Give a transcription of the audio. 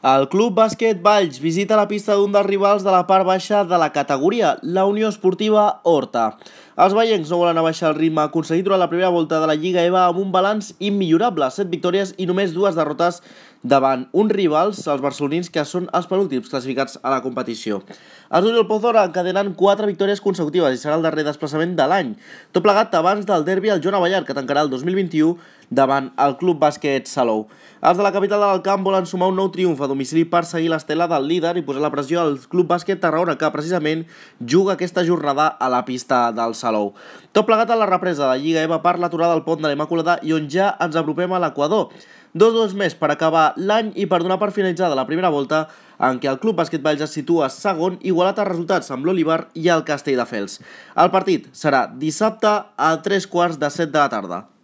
El Club Bàsquet Valls visita la pista d'un dels rivals de la part baixa de la categoria, la Unió Esportiva Horta. Els vallencs no volen abaixar el ritme aconseguit durant la primera volta de la Lliga EVA amb un balanç immillorable, 7 victòries i només 2 derrotes davant uns rivals, els barcelonins, que són els penúltims classificats a la competició. Els Oriol Pozora encadenen 4 victòries consecutives i serà el darrer desplaçament de l'any, tot plegat abans del derbi al Joan Abellar, que tancarà el 2021 davant el Club Bàsquet Salou. Els de la capital del camp volen sumar un nou triomf a domicili per seguir l'estela del líder i posar la pressió al Club Bàsquet Tarragona, que precisament juga aquesta jornada a la pista del Salou. Tot plegat a la represa de la Lliga EVA per l'aturada del pont de la Immaculada i on ja ens apropem a l'Equador. 2 més per acabar l'any i per donar per finalitzada la primera volta en què el Club Bàsquet Valls es situa segon, igualat a resultats amb l'Olivar i el Castelldefels. El partit serà dissabte a 3:15 de la tarda.